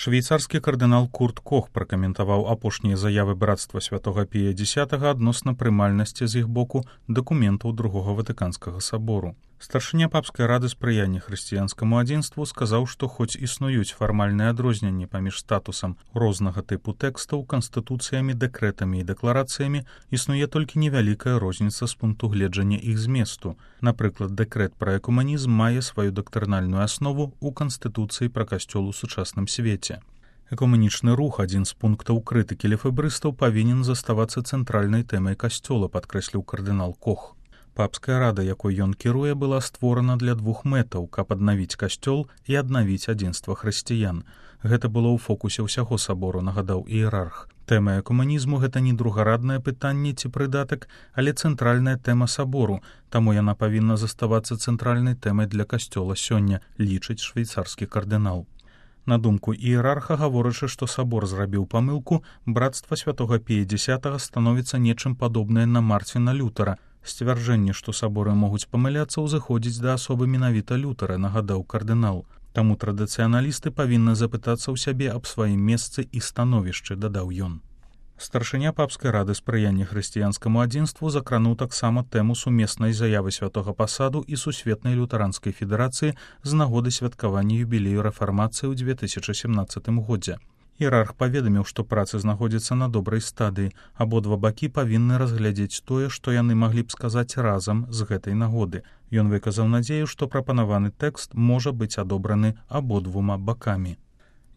Швейцарскі кардынал Курт Кох пракаментаваў апошнія заявы брацтва святога Пія X адносна прымальнасці з іх боку дакументаў Другога Ватыканскага сабору. Старшыня папскай рады спрыяння хрысціянскаму адзінству сказаў, што хоць існуюць фармальныя адрозненні паміж статусам рознага тыпу тэкстаў, канстытуцыямі, дэкрэтамі і дэкларацыямі, існуе толькі невялікая розніца з пункту гледжання іх зместу. Напрыклад, дэкрэт пра экуманізм мае сваю дактарнальную аснову ў канстытуцыі пра касцёл у сучасным свеце. Экуманічны рух, адзін з пунктаў крытыкі лефэбрыстаў, павінен заставацца цэнтральнай тэмай касцёла, падкрэсліў кардынал Кох. Папская рада, якой ён кіруе, была створана для двух мэтаў, каб аднавіць касцёл і аднавіць адзінства хрысціян. Гэта было ў фокусе ўсяго сабору, нагадаў іерарх. Тэма экуманізму — гэта не другараднае пытанне ці прыдатак, але цэнтральная тэма сабору, таму яна павінна заставацца цэнтральнай тэмай для касцёла сёння, лічыць швейцарскі кардынал. На думку іерарха, гаворачы, што сабор зрабіў памылку, брацтва святога Пія X становіцца нечым падобнае на Марціна Лютара. Сцвярджэнне, што саборы могуць памыляцца, узыходзіць да асобы менавіта Лютара, нагадаў кардынал. Таму традыцыяналісты павінны запытацца ў сябе аб сваім месцы і становішчы, дадаў ён. Старшыня папскай рады спрыяння хрысціянскаму адзінству закрануў таксама тэму сумеснай заявы святога пасаду і сусветнай лютэранскай федэрацыі з нагоды святкавання юбілею рэфармацыі ў 2017 годзе. Іерарх паведаміў, што працы знаходзяцца на добрай стадыі. Абодва бакі павінны разглядзець тое, што яны маглі б сказаць разам з гэтай нагоды. Ён выказаў надзею, што прапанаваны тэкст можа быць адобраны абодвума бакамі.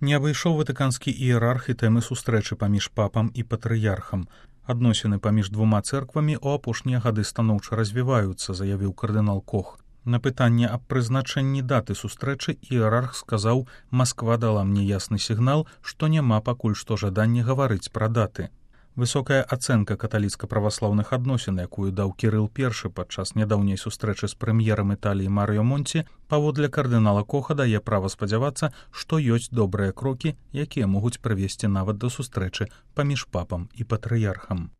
Не абышоў ватыканскі іерарх і тэмы сустрэчы паміж папам і патрыярхам. Адносіны паміж двума цэрквамі ў апошнія гады станоўча развіваюцца, заявіў кардынал Кох. На пытанне аб прызначэнні даты сустрэчы іерарх сказаў: «Масква дала мне ясны сігнал, што няма пакуль што жадання гаварыць пра даты». Высокая ацэнка каталіцка-праваслаўных адносін, якую даў Кірыл I падчас нядаўняй сустрэчы з прэм'ерам Італіі Марыё Монці, паводле кардынала Коха дае права спадзявацца, што ёсць добрыя крокі, якія могуць прывесці нават да сустрэчы паміж папам і патрыярхам.